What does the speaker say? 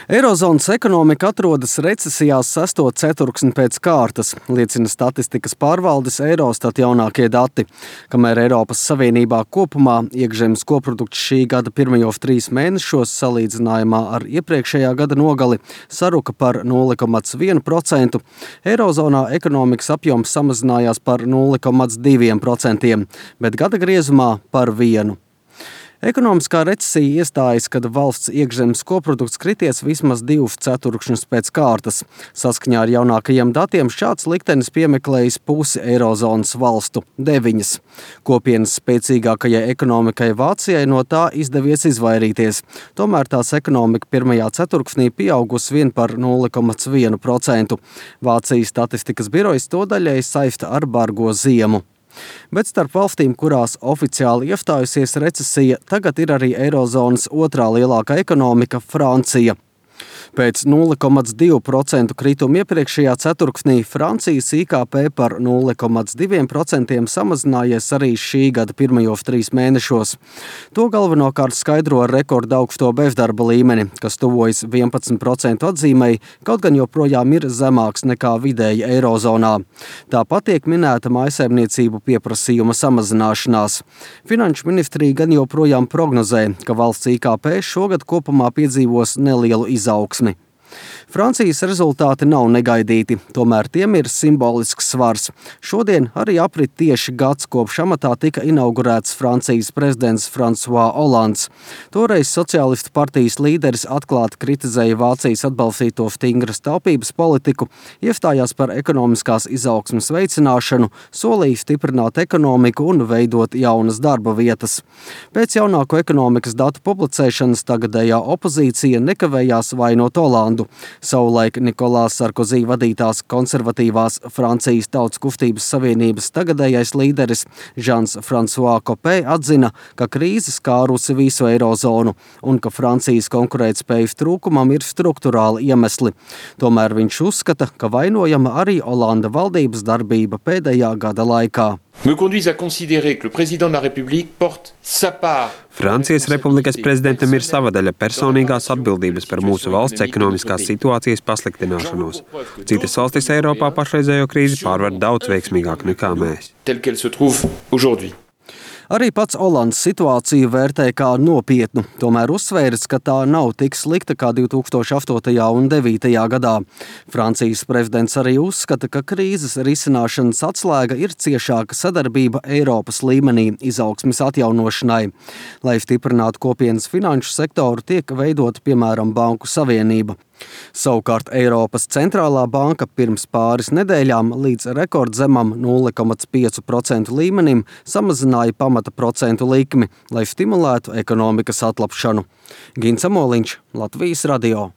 Eirozonas ekonomika atrodas recesijās 6. ceturksni pēc kārtas, liecina statistikas pārvaldes Eurostat jaunākie dati. Kamēr Eiropas Savienībā kopumā iekšzemes koprodukts šī gada pirmajos 3 mēnešos salīdzinājumā ar iepriekšējā gada nogali saruka par 0,1%, Eirozonā ekonomikas apjoms samazinājās par 0,2%, bet gada griezumā par 1%. Ekonomiskā recesija iestājas, kad valsts iekšzemes koprodukts krities vismaz 2 ceturkšņus pēc kārtas. Saskaņā ar jaunākajiem datiem šāds liktenis piemeklējis pusi Eirozonas valstu – 9. Kopienas spēcīgākajai ekonomikai Vācijai no tā izdevies izvairīties. Tomēr tās ekonomika pirmajā ceturksnī pieaugusi vien par 0,1%. Vācijas statistikas birojas to daļai saista ar bargo ziemu. Bet starp valstīm, kurās oficiāli iestājusies recesija, tagad ir arī Eirozonas otrā lielākā ekonomika – Francija. Pēc 0,2% krituma iepriekšējā ceturksnī Francijas IKP par 0,2% samazinājies arī šī gada pirmajos 3 mēnešos. To galvenokārt skaidro ar rekorda augsto bezdarba līmeni, kas tuvojas 11% atzīmei, kaut gan joprojām ir zemāks nekā vidēji Eirozonā. Tāpat tiek minēta mājsaimniecību pieprasījuma samazināšanās. Finanšu ministrija gan joprojām prognozē, ka valsts IKP šogad kopumā piedzīvos nelielu izaugsmi. Francijas rezultāti nav negaidīti, tomēr tiem ir simbolisks svars. Šodien arī aprit tieši gads, kopš amatā tika inaugurēts Francijas prezidents François Hollands. Toreiz sociālistu partijas līderis atklāti kritizēja Vācijas atbalstīto stingras taupības politiku, iestājās par ekonomiskās izaugsmes veicināšanu, solīja stiprināt ekonomiku un veidot jaunas darba vietas. Pēc jaunāko ekonomikas datu publicēšanas tagadējā opozīcija nekavējās vainot Hollandu. Savulaik Nikolās Sarkozī vadītās konservatīvās Francijas Tautas kustības savienības tagadējais līderis Žans François Copé atzina, ka krīze skārusi visu Eirozonu un ka Francijas konkurētspējas trūkumam ir strukturāli iemesli. Tomēr viņš uzskata, ka vainojama arī Hollanda valdības darbība pēdējā gada laikā. Francijas Republikas prezidentam ir sava daļa personīgās atbildības par mūsu valsts ekonomiskās situācijas pasliktināšanos. Citas valstis Eiropā pašreizējo krīzi pārvar daudz veiksmīgāk nekā mēs. Arī pats Hollands situāciju vērtē kā nopietnu, tomēr uzsvēris, ka tā nav tik slikta kā 2008. un 2009. gadā. Francijas prezidents arī uzskata, ka krīzes risināšanas atslēga ir ciešāka sadarbība Eiropas līmenī izaugsmes atjaunošanai. Lai stiprinātu kopienas finanšu sektoru, tiek veidota piemēram Banku savienība. Savukārt Eiropas centrālā banka pirms pāris nedēļām līdz rekordzemam 0,5% līmenim samazināja pamata procentu likmi, lai stimulētu ekonomikas atlapšanu. Gins Amoliņš, Latvijas radio.